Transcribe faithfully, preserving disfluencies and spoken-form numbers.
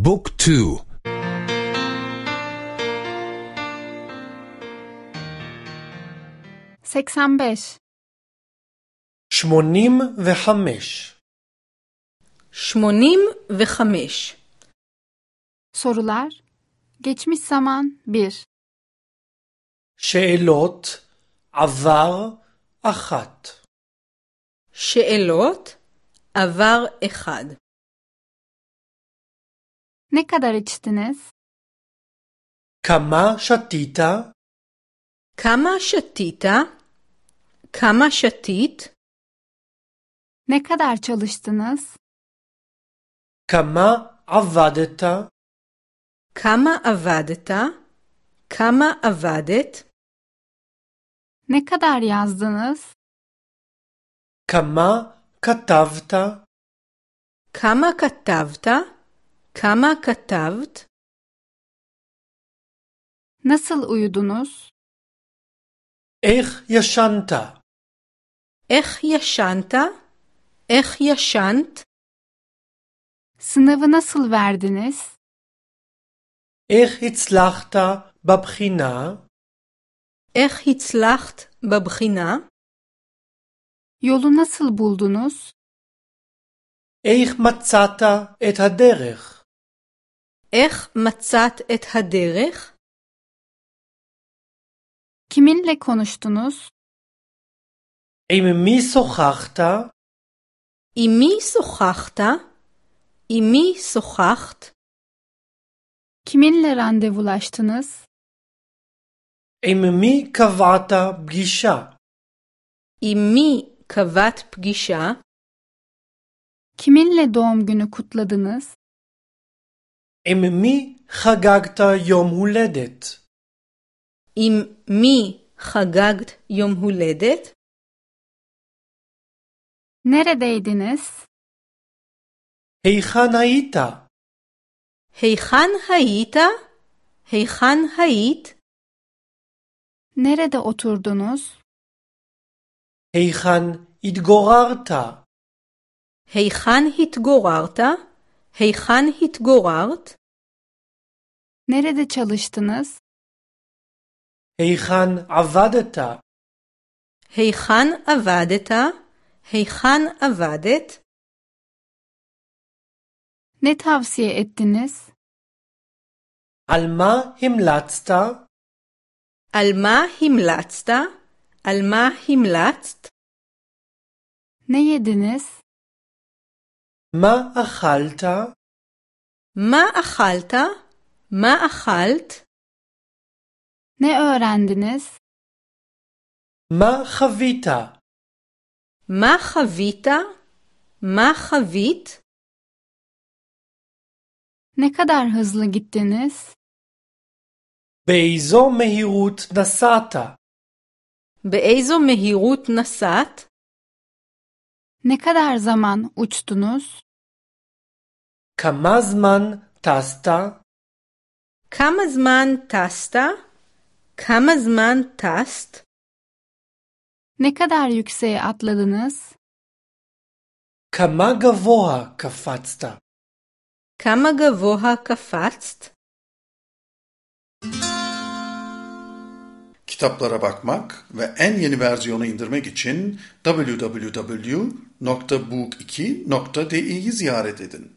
บุ๊กทูseksen beş שמונים וחמש שמונים וחמש sorular geçmiş zaman bir שאלות עבר אחת שאלות עבר אחד ne kadar içtiniz? כמה שתית? כמה שתית? כמה שתית? Ne kadar çalıştınız? כמה עבדת? כמה עבדת? כמה עבדת? Ne kadar yazdınız? כמה כתבת? כמה כתבת? כמה כתבת? Nasıl uyudunuz? איך ישנת? איך ישנת? איך ישנת? Sınavı nasıl verdiniz? איך הצלחת בבחינה? איך הצלחת בבחינה? Yolu nasıl buldunuz? איך מצאת את הדרך? איך מצאת את הדרך? Kiminle konuştunuz? עם מי שוחחת? עם מי שוחחת? עם מי שוחחת? Kiminle randevulaştınız? עם מי קבעת פגישה? עם מי קבעת פגישה? Kiminle doğum günü kutladınız? עם מי חגגת יום הולדת? עם מי חגגת יום הולדת? Neredeydiniz? היכן היית? היכן היית? היכן היית? Nerede oturdunuz? היכן התגוררת? היכן התגוררת? היכן התגוררת? Nerede çalıştınız? היכן עבדת? היכן עבדת? היכן עבדת? Ne tavsiye ettiniz? על מה המלצת? על מה המלצת? על מה המלצת? Ne yediniz? מה אכלת? מה אכלת? מה אכלת? Ne öğrendiniz? מה חווית? מה חווית? מה חווית? Ne kadar hızlı gittiniz? באיזו מהירות נסעת? באיזו מהירות נסעת? Ne kadar zaman uçtunuz? כמה זמן טסת? כמה זמן טסת? כמה זמן טסת? Ne kadar yükseğe atladınız? כמה גבוה קפצת? כמה גבוה קפצת? Kitaplara bakmak ve en yeni versiyonu indirmek için double-u double-u double-u nokta book iki nokta di'yi ziyaret edin.